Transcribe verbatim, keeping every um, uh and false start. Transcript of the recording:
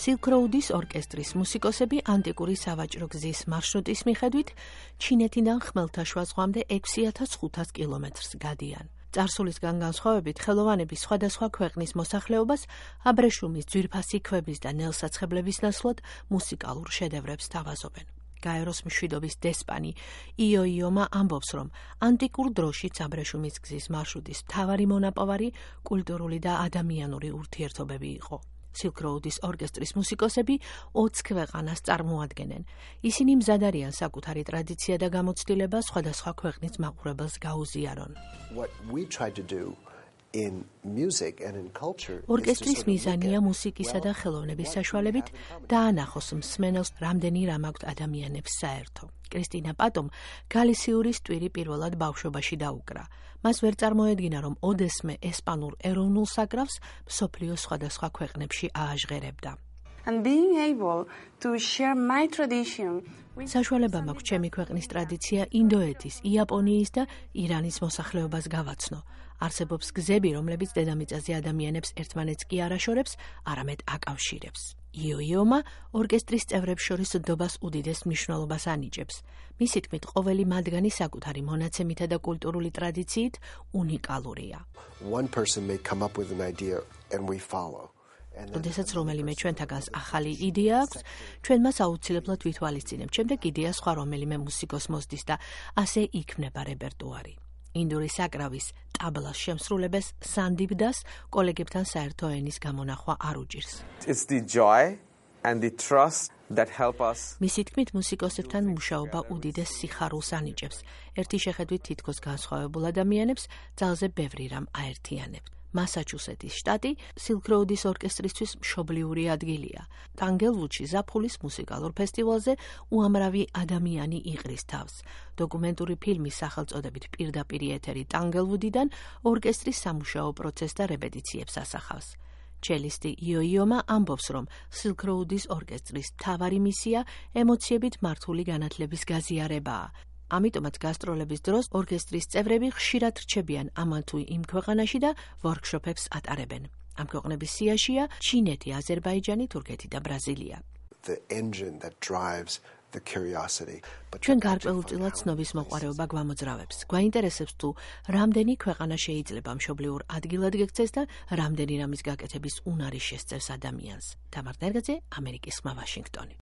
Silk Road-ის ორკესტრის მუსიკოსები ანტიკური სავაჭრო გზის მარშრუტის მიხედვით ჩინეთიდან ხმელთაშუა ზღვამდე ექვსი ათას ხუთას კილომეტრს გადიან. წარსულისგან განსხვავებით, ხელოვანები სხვადასხვა ქვეყნის მოსახლეობას აბრეშუმის, ძვირფასი ქვების და ნელსაცხებლების ნაცვლად მუსიკალურ შედევრებს თავაზობენ. გაეროს მშვიდობის დესპანი იო იომა ამბობს, რომ ანტიკურ დროშიც აბრეშუმის გზის მარშრუტის მთავარი მონაპოვარი კულტურული და ადამიანური ურთიერთობები იყო. Silk Road-ის ორკესტრის მუსიკოსები ოცს ქვეყანას წარმოადგენენ. ისინი მზად არიან საკუთარი ტრადიცია და გამოცდილება სხვადასხვა ქვეყნის მაყურებელს გაუზიარონ. ორკესტრის მიზანია მუსიკისა და ხელოვნების საშუალებით დაანახოს მსმენელს რამდენი რამ აქვთ ადამიანებს საერთო. კრისტინა პატომ გალისიურის ტვირი პირველად ბავშვობაში დაუკრა. მას ვერ წარმოედგინა, რომ ოდესმე ესპანურ ეროვნულ საკრავს მსოფლიოს სხვადასხვა ქვეყნებში ააჟღერებდა. And being able to share my tradition საშუალება მაქვს ჩემი ქვეყნის ტრადიცია ინდოეთის, იაპონიის და ირანის მოსახლეობას გავაცნო. არსებობს გზები, რომლებიც დედამიწაზე ადამიანებს ერთმანეთს კი არ აშორებს, არამედ აკავშირებს. იო იომა ორკესტრის წევრებს შორის დობას უდიდეს მნიშვნელობას ანიჭებს. მისი თქმით, ყოველი მათგანი საკუთარი მონაცემითა და კულტურული ტრადიციით უნიკალურია. როდესაც რომელიმე ჩვენთაგანს ახალი იდეა აქვს, ჩვენ მას აუცილებლად ვითვალისწინებთ, შემდეგ იდეა სხვა რომელიმე მუსიკოს მოსდის და ასე იქმნება რეპერტუარი. ინდური საკრავის ტაბლას შემსრულებელს სანდიბდას კოლეგებთან საერთო ენის გამონახვა არ უჭირს. It's the joy and the trust that help us. მისი თქმით, მუსიკოსებთან მუშაობა უდიდეს სიხარულს ანიჭებს. ერთი შეხედვით თითქოს განსხვავებულ ადამიანებს ძალზე ბევრი რამ აერთიანებთ. მასაჩუსეტის შტატი Silk Road-ის ორკესტრისთვის მშობლიური ადგილია. ტანგელვუდში ზაფხულის მუსიკალურ ფესტივალზე უამრავი ადამიანი იყრის თავს. დოკუმენტური ფილმის სახელწოდებით პირდაპირ ეთერი ტანგელვუდიდან ორკესტრის სამუშაო პროცესს და რეპეტიციებს ასახავს. ჩელისტი იო იომა ამბობს, რომ Silk Road-ის ორკესტრის მთავარი მისია ემოციებით მართული განათლების გაზიარებაა. ამიტომაც გასტროლების დროს ორკესტრის წევრები ხშირად რჩებიან ამან თუ იმ ქვეყანაში და ვორქშოპებს ატარებენ. ამ ქვეყნების სიაშია ჩინეთი, აზერბაიჯანი, თურქეთი და ბრაზილია. ჩვენ გარკვეულწილად ცნობის მოყვარეობა გვამოძრავებს. გვაინტერესებს თუ რამდენი ქვეყანა შეიძლება მშობლიურ ადგილად გექცეს და რამდენი რამის გაკეთების უნარი შესწევს ადამიანს. თამარ ნერგაძე, ამერიკის ხმა, ვაშინგტონი.